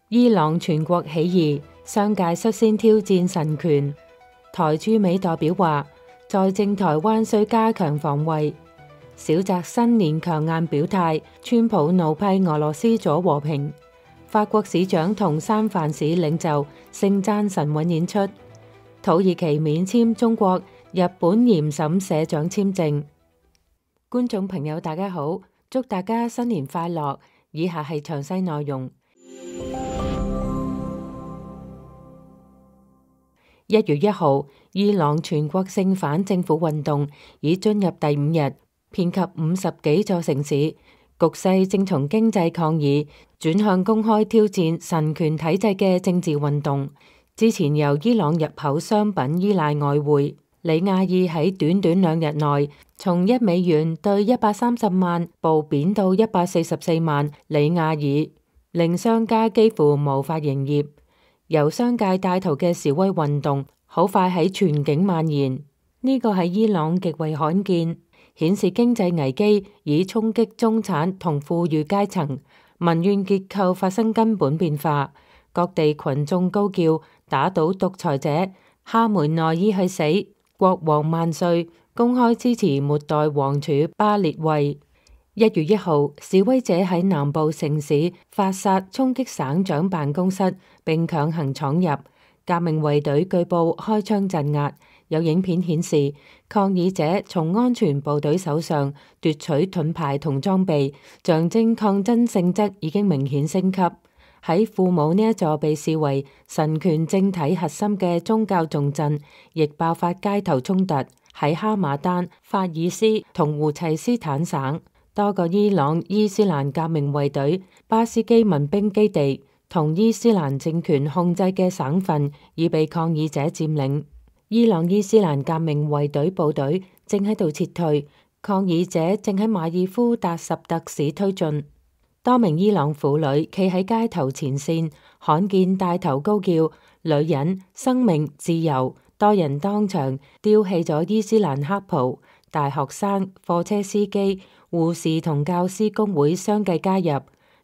伊朗全國起義，商界率先挑戰神權。台駐美代表話，在政台灣需加強防衛。小澤新年強硬表態，川普怒批俄羅斯阻和平。法國市長同三藩市領袖盛讚神韻演出。土耳其免簽中國、日本嚴審社長簽證。觀眾朋友大家好，祝大家新年快樂。以下係詳細內容。1月1號，伊朗全國性反政府運動已進入第5日，遍及50幾座城市，局勢正從經濟抗議轉向公開挑戰神權體制嘅政治運動。之前由伊朗入口商品依賴外匯，里亞爾喺短短2日內從1美元兌130萬暴貶到144萬里亞爾，令商家幾乎無法營業。由商界帶頭嘅示威運動好快喺全境蔓延，呢個係伊朗極為罕見，顯示經濟危機已衝擊中產同富裕階層，民怨結構發生根本變化。各地群眾高叫打倒獨裁者，哈梅內伊去死，國王萬歲，公開支持末代王儲巴列維。1月1號，示威者喺南部城市發殺衝擊省長辦公室，並強行闖入。革命衛隊據報開槍鎮壓。有影片顯示，抗議者從安全部隊手上奪取盾牌同裝備，象徵抗爭性質已經明顯升級。喺庫姆呢一座被視為神權政體核心嘅宗教重鎮，亦爆發街頭衝突。喺哈馬丹、法爾斯同胡齊斯坦省，多個伊朗伊斯蘭革命衛隊、巴斯基民兵基地同伊斯蘭政權控制嘅省份已被抗議者佔領。伊朗伊斯蘭革命衛隊部隊正喺度撤退，抗議者正喺馬爾夫達什特市推進。多名伊朗婦女企喺街頭前線，罕見帶頭高叫女人、生命、自由。多人當場丟棄咗伊斯蘭黑袍，大學生、貨車司機、護士同教師工會相繼加入。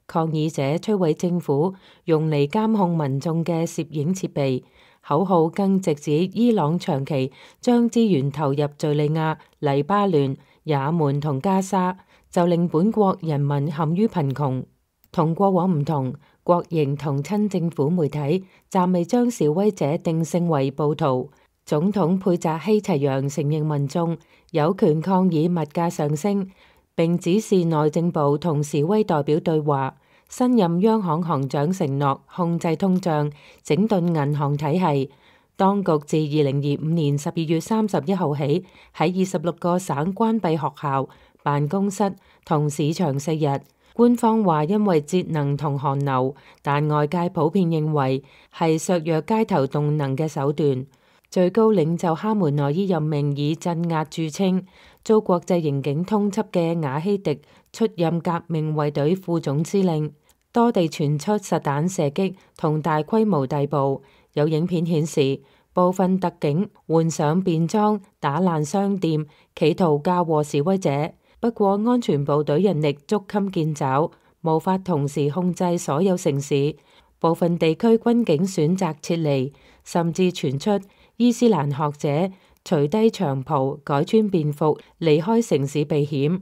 抗議者摧毀政府用嚟監控民眾嘅攝影設備，口號更直指伊朗長期將資源投入敘利亞、黎巴嫩、也門同加沙，就令本國人民陷於貧窮。同過往唔同，國營同親政府媒體暫未將示威者定性為暴徒。總統佩扎希齊揚承認民眾有權抗議物價上升，並指示內政部同示威代表對話。新任央行行長承諾控制通脹，整頓銀行體系。當局自2025年12月31號起，喺26個省關閉學校、辦公室同市場4日。官方話因為節能同寒流，但外界普遍認為係削弱街頭動能嘅手段。最高領袖哈梅內伊任命以鎮壓著稱、遭國際刑警通緝嘅瓦希迪出任革命衛隊副總司令。多地傳出實彈射擊同大規模逮捕。有影片顯示，部分特警換上便裝打爛商店，企圖嫁禍示威者。不過安全部隊人力捉襟見肘，無法同時控制所有城市。部分地區軍警選擇撤離，甚至傳出伊斯蘭學者除低長袍改穿便服離開城市避險。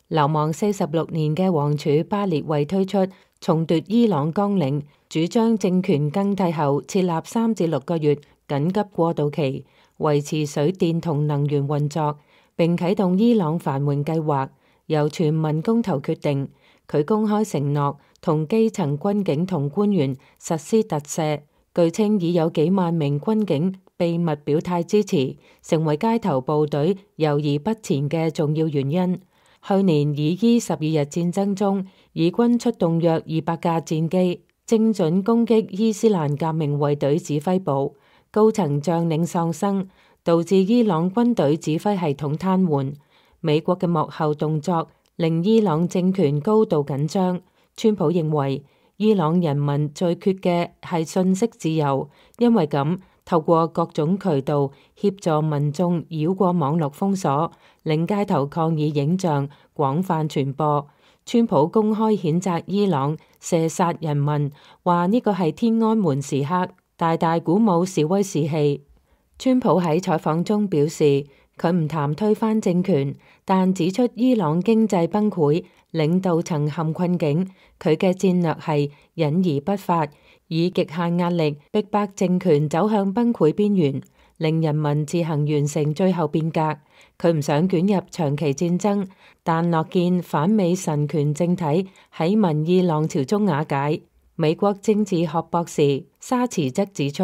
流亡46年嘅王儲巴列維推出重奪伊朗綱領，主張政權更替後設立3至6個月緊急過渡期，維持水電同能源運作，並啟動伊朗繁榮計劃，由全民公投決定。佢公開承諾同基層軍警同官員實施特赦，據稱已有幾萬名軍警秘密表態支持，成為街頭部隊猶豫不前嘅重要原因。去年以伊12日戰爭中，以軍出動約200架戰機，精準攻擊伊斯蘭革命衛隊指揮部，高層將領喪生，導致伊朗軍隊指揮系統癱瘓。美國嘅幕後動作令伊朗政權高度緊張。川普認為伊朗人民最缺嘅係信息自由，因為咁透過各種渠道協助民眾繞過網絡封鎖，令街頭抗議影像廣泛傳播。川普公開譴責伊朗射殺人民，話呢個係天安門時刻，大大鼓舞示威士氣。川普喺採訪中表示，佢唔談推翻政權，但指出伊朗經濟崩潰，領導層陷困境，佢嘅戰略係隱而不發，以極限壓力逼迫政權走向崩潰邊緣，令人民自行完成最後變革。佢唔想捲入長期戰爭，但樂見反美神權政體喺民意浪潮中瓦解。美國政治學博士沙茨則指出，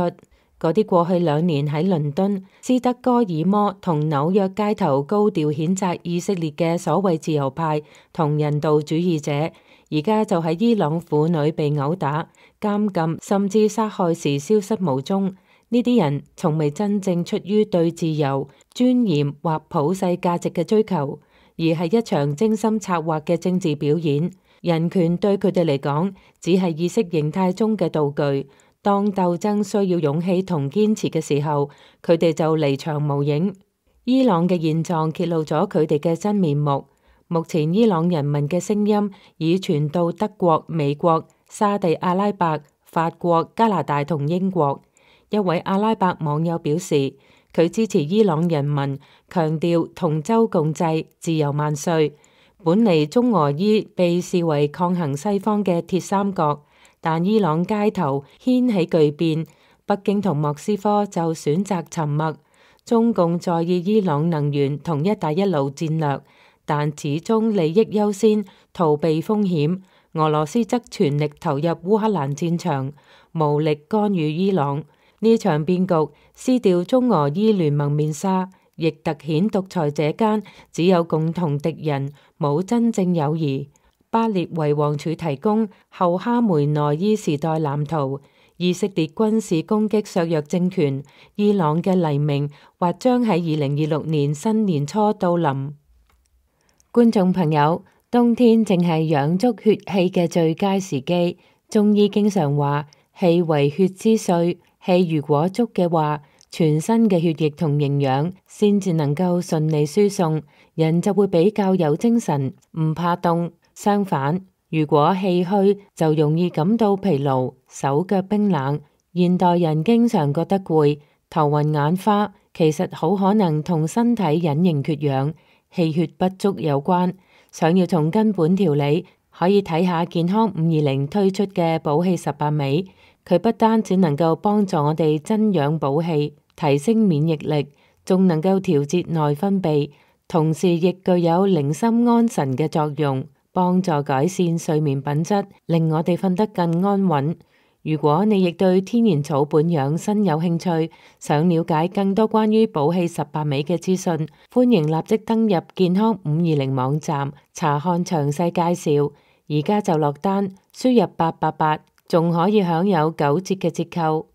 嗰啲過去2年喺倫敦、斯德哥爾摩同紐約街頭高調譴責以色列嘅所謂自由派同人道主義者，而家就喺伊朗婦女被毆打、監禁甚至殺害時消失無蹤。呢啲人從未真正出於對自由、尊嚴或普世價值嘅追求，而係一場精心策劃嘅政治表演。人權對佢哋嚟講，只係意識形態中嘅道具。當鬥爭需要勇氣同堅持嘅時候，佢哋就離場無影。伊朗嘅現狀揭露咗佢哋嘅真面目。目前伊朗人民嘅聲音已傳到德國、美國、沙地阿拉伯、法國、加拿大同英國。一位阿拉伯網友表示，佢支持伊朗人民，強調同舟共濟、自由萬歲。本嚟中俄伊被視為抗衡西方嘅鐵三角，但伊朗街頭掀起巨變，北京同莫斯科就選擇沉默。中共在意伊朗能源同一帶一路戰略，但始終利益優先，逃避風險。俄羅斯則全力投入烏克蘭戰場，無力干預伊朗。呢場變局撕掉中俄伊聯盟面紗，亦凸顯獨裁者間只有共同敵人，冇真正友誼。巴列維王儲提供後哈梅內伊時代藍圖，以色列軍事攻擊削弱政權，伊朗嘅黎明或將喺2026年新年初到臨。觀眾朋友，冬天正係養足血氣嘅最佳時機。中醫經常話，氣為血之髓，氣如果足嘅話，全身嘅血液同營養先至能夠順利輸送，人就會比較有精神，唔怕凍。相反，如果氣虛，就容易感到疲勞、手腳冰冷。現代人經常覺得攰、頭暈眼花，其實好可能同身體隱形缺氧、氣血不足有關。想要從根本調理，可以睇下健康520推出嘅補氣18味。佢不單只能夠幫助我哋增氧補氣、提升免疫力，仲能夠調節內分泌，同時亦具有寧心安神嘅作用，幫助改善睡眠品質，令我哋瞓得更安穩。如果你亦對天然草本養生有興趣，想了解更多關於補氣18味嘅資訊，歡迎立即登入健康520網站查看詳細介紹。而家就落單，輸入888，仲可以享有9折嘅折扣。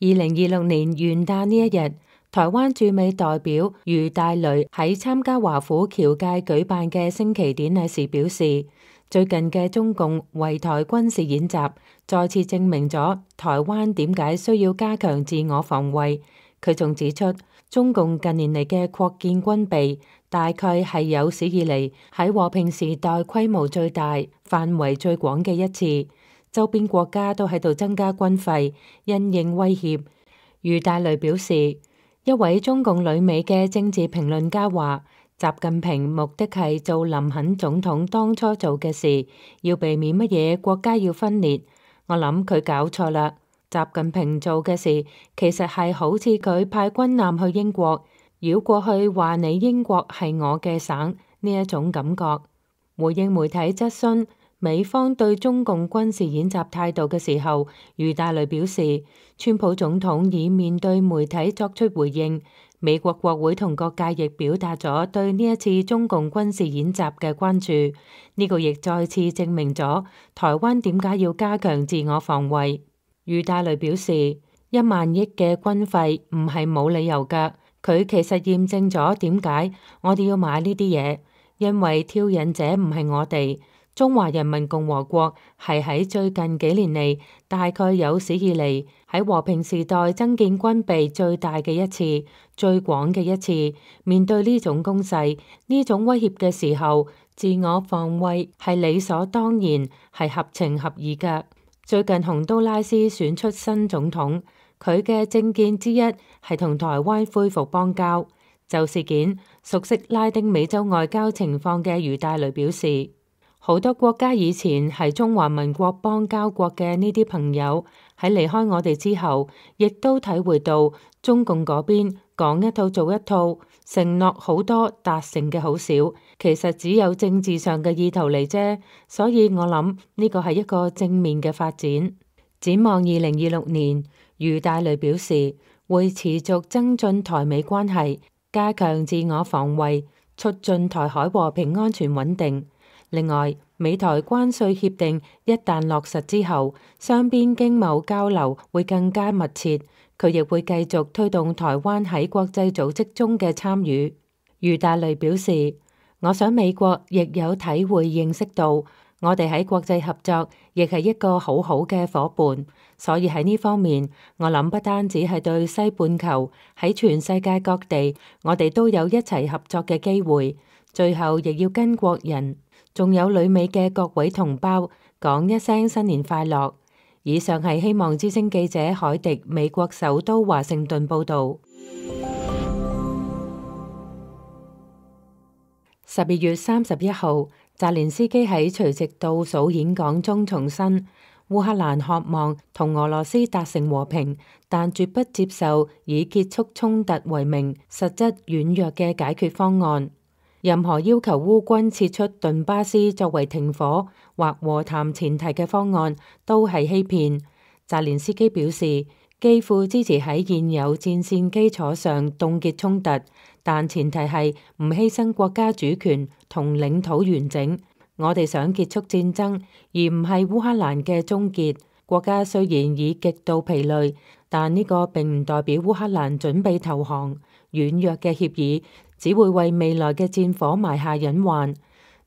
2026年元旦呢一日，台灣駐美代表余大雷喺參加華府僑界舉辦嘅升旗典禮時表示，最近嘅中共圍台軍事演習再次證明咗台灣點解需要加強自我防衛。佢仲指出，中共近年嚟嘅擴建軍備，大概係有史以嚟喺和平時代規模最大、範圍最廣嘅一次。周邊國家都喺度增加軍費，因應威脅。余大雷表示，一位中共旅美嘅政治評論家話，習近平目的係做林肯總統當初做嘅事，要避免乜嘢國家要分裂。我諗佢搞錯啦。習近平做嘅事其實係好似佢派軍艦去英國，繞過去話你英國係我嘅省呢一種感覺。回應媒體質詢美方對中共軍事演習態度嘅時候，余大雷表示，川普總統已面對媒體作出回應，美國國會同各界亦表達咗對呢一次中共軍事演習嘅關注。呢個亦再次證明咗台灣點解要加強自我防衛。余大雷表示，1萬億嘅軍費唔係冇理由㗎，佢其實驗證咗點解我哋要買呢啲嘢，因為挑釁者唔係我哋。中華人民共和國係喺最近幾年嚟，大概有史以嚟喺和平時代增建軍備最大嘅一次、最廣嘅一次。面對呢種攻勢、呢種威脅嘅時候，自我防衛係理所當然，係合情合意嘅。最近洪都拉斯選出新總統，佢嘅政見之一係同台灣恢復邦交。就事件，熟悉拉丁美洲外交情況嘅余大雷表示，好多國家以前係中華民國邦交國嘅呢啲朋友喺離開我哋之後，亦都體會到中共嗰邊講一套做一套，承諾好多，達成嘅好少，其實只有政治上嘅意圖嚟啫。所以我諗呢個係一個正面嘅發展。展望2026年，余大雷表示會持續增進台美關係，加強自我防衛，促進台海和平安全穩定。另外，美台關稅協定一旦落實之後，雙邊經貿交流會更加密切。佢亦會繼續推動台灣喺國際組織中嘅參與。余大雷表示，我想美國亦有體會認識到，我哋喺國際合作亦係一個好好嘅夥伴。所以喺呢方面，我諗不單止係對西半球，喺全世界各地，我哋都有一齊合作嘅機會。最後亦要跟國人，仲有旅美嘅各位同胞講一聲新年快樂。以上係希望之聲記者凱迪美國首都華盛頓報道。12月31號，澤連斯基喺除夕倒數演講中重申，烏克蘭渴望同俄羅斯達成和平，但絕不接受以結束衝突為名、實質軟弱嘅解決方案。任何要求烏軍撤出頓巴斯作為停火或和談前提嘅方案都係欺騙。澤連斯基表示，基輔支持喺現有戰線基礎上凍結衝突，但前提係唔犧牲國家主權同領土完整。我哋想結束戰爭，而唔係烏克蘭嘅終結。國家雖然已極度疲累，但呢個並唔代表烏克蘭準備投降。軟弱嘅協議只會為未來嘅戰火埋下隱患，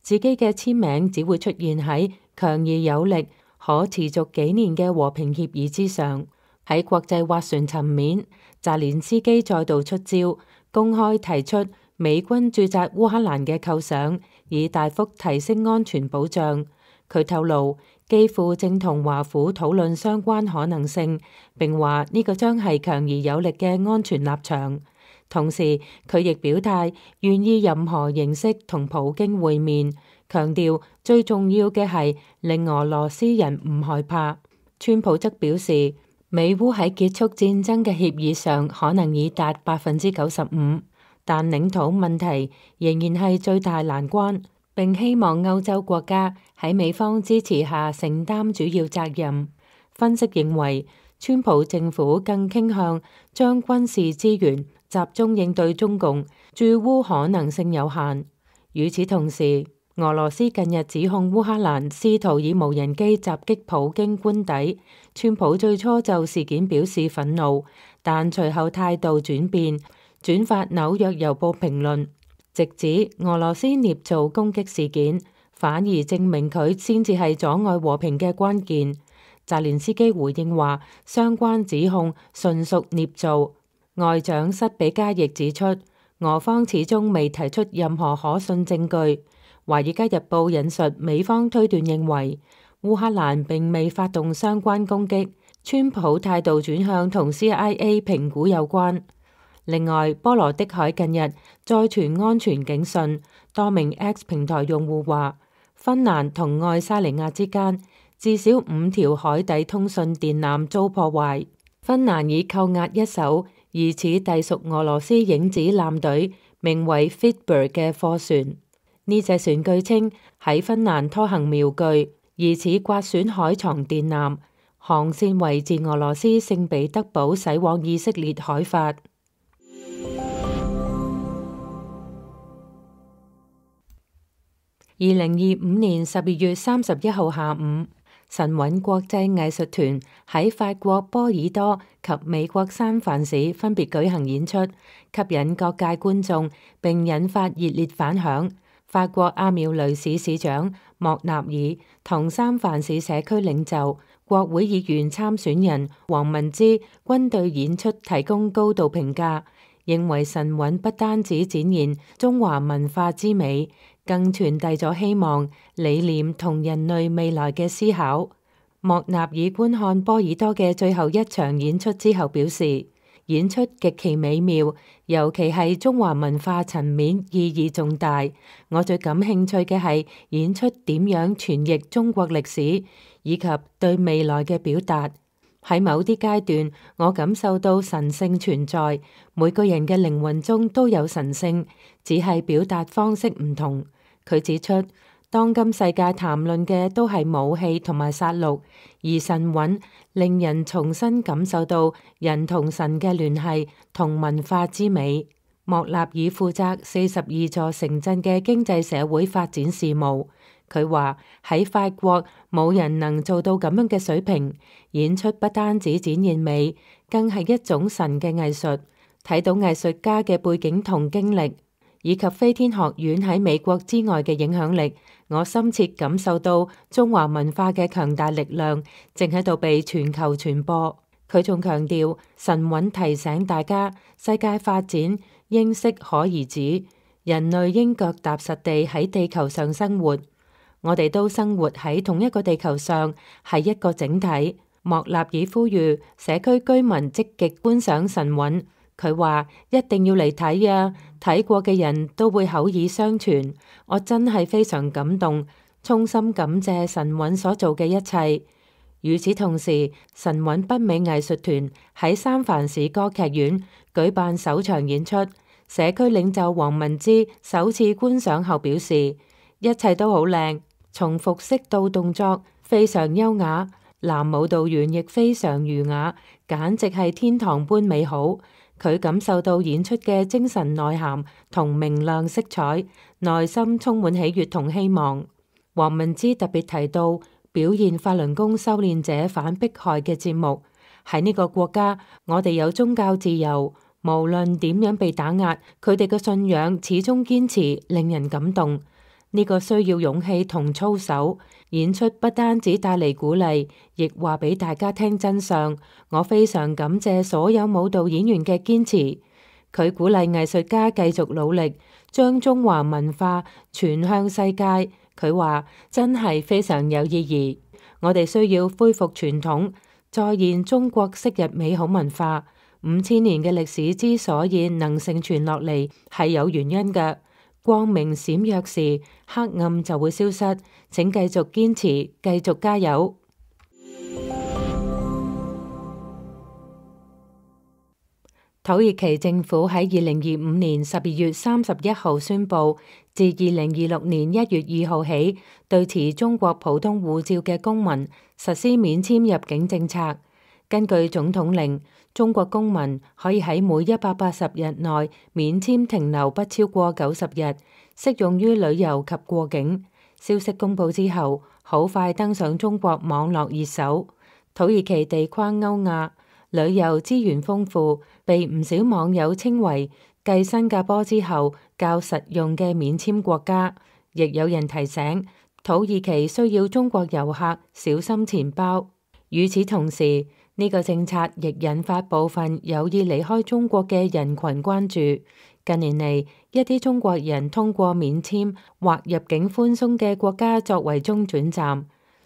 自己嘅簽名只會出現喺強而有力、可持續幾年嘅和平協議之上。喺國際斡旋層面，澤連斯基再度出招，公開提出美軍駐紮烏克蘭嘅構想，以大幅提升安全保障。佢透露，基輔正同華府討論相關可能性，並話呢個將係強而有力嘅安全立場。同時，佢亦表態願意任何形式同普京會面，強調最重要嘅係令俄羅斯人唔害怕。川普則表示，美烏喺結束戰爭嘅協議上可能已達95%，但領土問題仍然係最大難關，並希望歐洲國家喺美方支持下承擔主要責任。分析認為，川普政府更傾向將軍事資源集中應對中共，駐烏可能性有限。與此同時，俄羅斯近日指控烏克蘭試圖以無人機襲擊普京官邸。川普最初就事件表示憤怒，但隨後態度轉變，轉發紐約郵報評論，直指俄羅斯捏造攻擊事件，反而證明佢先至係阻礙和平嘅關鍵。澤連斯基回應話，相關指控純屬捏造。外長塞比加亦指出，俄方始終未提出任何可信證據。華爾街日報引述美方推斷認為，烏克蘭並未發動相關攻擊，川普態度轉向同 CIA 評估有關。另外，波羅的海近日再傳安全警訊，多名 X 平台用戶話，芬蘭同愛沙尼亞之間至少5條海底通訊電纜遭破壞。芬蘭已扣押一艘疑似隸屬俄羅斯影子艦隊名為 Fitberg 嘅貨船。呢隻船據稱喺芬蘭拖行瞄具，疑似刮損海床電纜，航線為自俄羅斯聖彼得堡駛往以色列海法。2025年12月31號下午，神韻國際藝術團喺法國波爾多及美國三藩市分別舉行演出，吸引各界觀眾並引發熱烈反響。法國阿苗雷市市長莫納爾同三藩市社區領袖、國會議員參選人黃文之均對演出提供高度評價，認為神韻不單止展現中華文化之美，更傳遞咗希望、理念同人類未來嘅思考。莫納爾觀看波爾多嘅最後一場演出之後表示，演出極其美妙，尤其係中華文化層面意義重大。我最感興趣嘅係演出點樣傳譯中國歷史，以及對未來嘅表達。喺某啲階段，我感受到神性存在，每個人嘅靈魂中都有神性，只係表達方式唔同。佢指出，當今世界談論嘅都係武器同埋殺戮，而神韻令人重新感受到人同神嘅聯繫同文化之美。莫納爾負責42座城鎮嘅經濟社會發展事務。佢話喺法國冇人能做到咁樣嘅水平。演出不單止展現美，更係一種神嘅藝術。睇到藝術家嘅背景同經歷，以及飛天學院喺美國之外嘅影響力，我深切感受到中華文化嘅強大力量正喺度被全球傳播。佢仲強調，神韻提醒大家，世界發展應適可而止，人類應腳踏實地喺地球上生活。我哋都生活喺同一個地球上，係一個整體。莫納爾呼籲社區居民積極觀賞神韻。佢話一定要嚟睇啊！睇過嘅人都會口耳相傳。我真係非常感動，衷心感謝神韻所做嘅一切。與此同時，神韻北美藝術團喺三藩市歌劇院舉辦首場演出。社區領袖黃文之首次觀賞後表示，一切都好靚，從服飾到動作非常優雅，男舞蹈員亦非常儒雅，簡直係天堂般美好。佢感受到演出嘅精神內涵同明亮色彩，內心充滿喜悅同希望。黃文之特別提到表現法輪功修煉者反迫害嘅節目。喺呢個國家，我哋有宗教自由，無論點樣被打壓，佢哋嘅信仰始終堅持，令人感動。呢個需要勇氣同操守。演出不單止帶嚟鼓勵，亦話俾大家聽真相。我非常感謝所有舞蹈演員嘅堅持。佢鼓勵藝術家繼續努力，將中華文化傳向世界。佢話真係非常有意義。我哋需要恢復傳統，再現中國昔日美好文化。5000年嘅歷史之所以能承傳落嚟，係有原因嘅。光明閃耀時，黑暗就會消失。請繼續堅持，繼續加油。土耳其政府喺2025年12月31號宣布，自2026年1月2號起，對持中國普通護照嘅公民實施免簽入境政策。根據總統令，中國公民可以喺每180日內免簽停留不超過90日，適用於旅遊及過境。消息公佈之後，好快登上中國網絡熱搜。土耳其地跨歐亞，旅遊資源豐富，被唔少網友稱為繼新加坡之後較實用嘅免簽國家。亦有人提醒，土耳其需要中國遊客小心錢包。與此同時，呢個政策亦引發部分有意離開中國嘅人群關注。近年嚟，一啲中國人通過免簽或入境寬鬆嘅國家作為中轉站，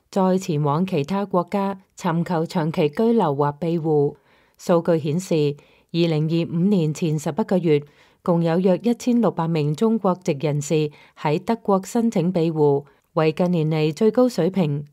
再前往其他國家尋求長期居留或庇護。數據顯示，2025年前11個月，共有約1600名中國籍人士喺德國申請庇護，為近年嚟最高水平。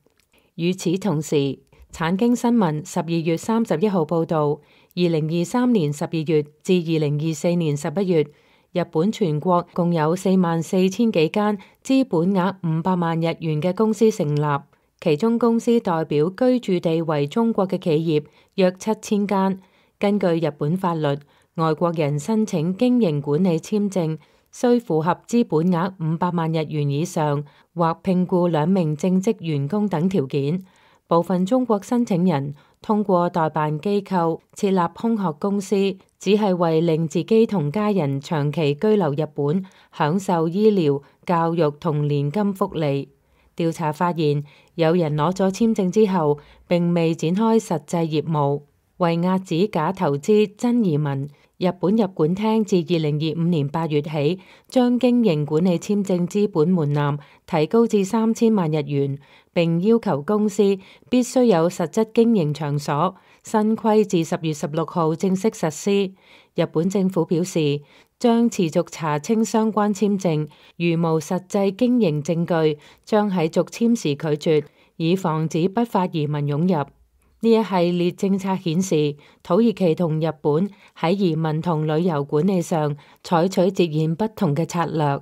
與此同時，產經新聞12月31號報導，2023年12月至2024年11月，日本全國共有44000幾間資本額500萬日元嘅公司成立，其中公司代表居住地為中國嘅企業約7000間。根據日本法律，外國人申請經營管理簽證，需符合資本額500萬日元以上，或聘僱2名正職員工等條件。部分中國申請人通過代辦機構設立空殼公司，只係為令自己同家人長期居留日本，享受醫療、教育同年金福利。調查發現，有人攞咗簽證之後並未展開實際業務。為遏止假投資真移民，日本入管廳自2025年8月起，將經營管理簽證資本門檻提高至3000萬日元，並要求公司必須有實質經營場所。新規自10月16號正式實施。日本政府表示，將持續查清相關簽證，如無實際經營證據，將喺續簽時拒絕，以防止不法移民湧入。呢一系列政策顯示，土耳其同日本喺移民同旅遊管理上採取截然不同嘅策略。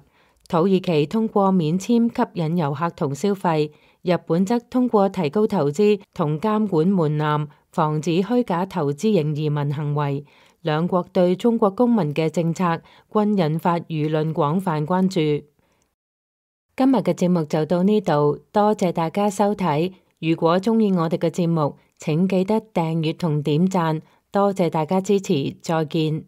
土耳其通過免簽吸引遊客同消費，日本則通過提高投資同監管門檻，防止虛假投資型移民行為。兩國對中國公民嘅政策均引發輿論廣泛關注。今日嘅節目就到呢度，多謝大家收睇。如果鍾意我哋嘅節目，請記得訂閱同點讚，多謝大家支持，再見。